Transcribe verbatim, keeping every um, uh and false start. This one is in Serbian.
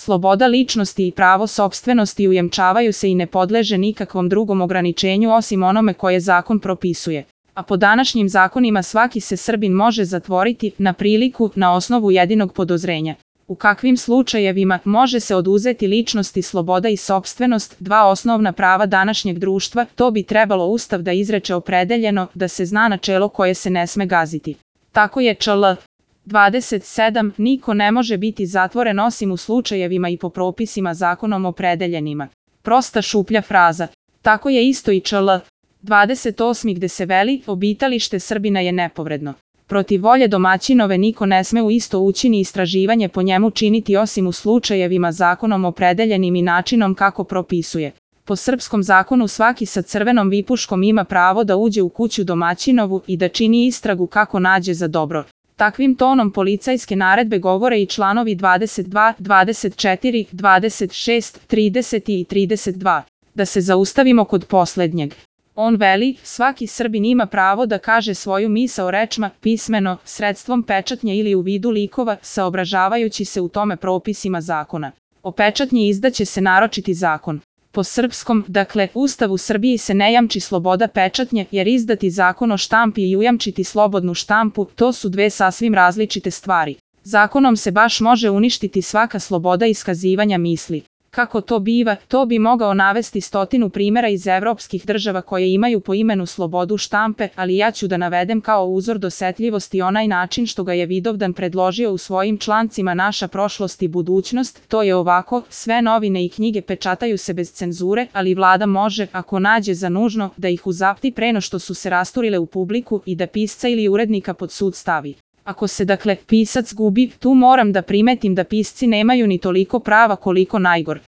Sloboda ličnosti i pravo sopstvenosti ujemčavaju se i ne podleže nikakvom drugom ograničenju osim onome koje zakon propisuje. A po današnjim zakonima svaki se Srbin može zatvoriti na priliku na osnovu jedinog podozrenja. U kakvim slučajevima može se oduzeti ličnosti sloboda i sopstvenost, dva osnovna prava današnjeg društva, to bi trebalo Ustav da izreče opredeljeno, da se zna načelo koje se ne sme gaziti. Tako je čl. dvadeset sedam, niko ne može biti zatvoren osim u slučajevima i po propisima zakonom opredeljenima. Prosta šuplja fraza. Tako je isto i čl. dvadeset osam gde se veli, obitalište Srbina je nepovredno. Protiv volje domaćinove niko ne sme u isto ući ni istraživanje po njemu činiti osim u slučajevima zakonom opredeljenim i načinom kako propisuje. Po srpskom zakonu svaki sa crvenom vipuškom ima pravo da uđe u kuću domaćinovu i da čini istragu kako nađe za dobro. Takvim tonom policajske naredbe govore i članovi dvadeset dva, dvadeset četiri, dvadeset šest, trideset i trideset dva. Da se zaustavimo kod poslednjeg. On veli, svaki Srbin ima pravo da kaže svoju misao rečima, pismeno, sredstvom pečatnje ili u vidu likova, saobražavajući se u tome propisima zakona. O pečatnji izdaće se naročiti zakon. Po srpskom, dakle, Ustavu Srbiji se ne jamči sloboda pečatnje, jer izdati zakon o štampi i ujamčiti slobodnu štampu, to su dve sasvim različite stvari. Zakonom se baš može uništiti svaka sloboda iskazivanja misli. Kako to biva, to bi mogao navesti stotinu primjera iz evropskih država koje imaju po imenu slobodu štampe, ali ja ću da navedem kao uzor dosetljivosti onaj način što ga je Vidovdan predložio u svojim člancima Naša prošlost i budućnost, to je ovako, sve novine i knjige pečataju se bez cenzure, ali vlada može, ako nađe za nužno, da ih uzapti preno što su se rasturile u publiku i da pisca ili urednika pod sud stavi. Ako se dakle pisac gubi, tu moram da primetim da pisci nemaju ni toliko prava koliko najgor.